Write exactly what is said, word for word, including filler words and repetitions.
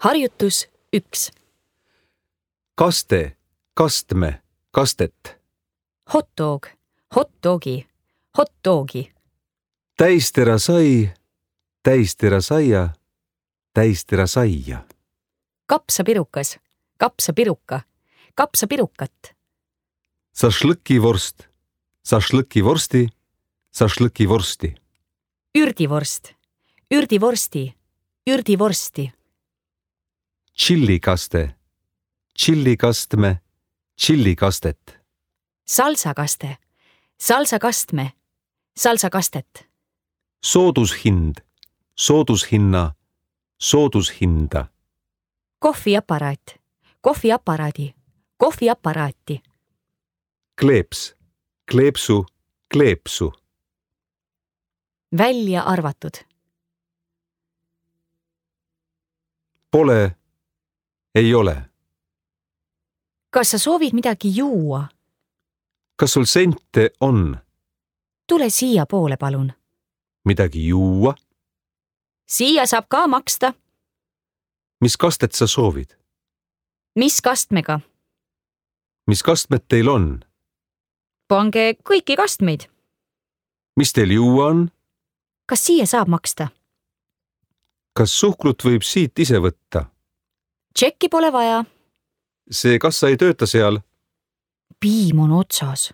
Harjutus üks. Kaste, kastme, kastet. Hotdog, hotdogi, hotdogi. Täistera sai, täistera saia, täistera saia. Kapsapirukas, kapsapiruka, kapsapirukat. Sašlõkivorst, sašlõkivorsti, sašlõkivorsti. Ürdivorst, ürdivorsti, ürdivorsti. Tšillikaste, tšillikastme, tšillikastet. Salsakaste, salsakastme, salsakastet. Soodushind, soodushinna, soodushinda. Kohviaparaat, kohviaparaadi, kohviaparaati. Kleeps, kleepsu, kleepsu. Välja arvatud. Pole, ei ole. Kas sa soovid midagi juua? Kas sul sente on? Tule siia poole, palun. Midagi juua? Siia saab ka maksta. Mis kastet sa soovid? Mis kastmega? Mis kastmed teil on? Pange kõiki kastmeid. Mis teil juua on? Kas siia saab maksta? Kas suhkrut võib siit ise võtta? Tšekki pole vaja. See kassa ei tööta seal. Piim on otsas.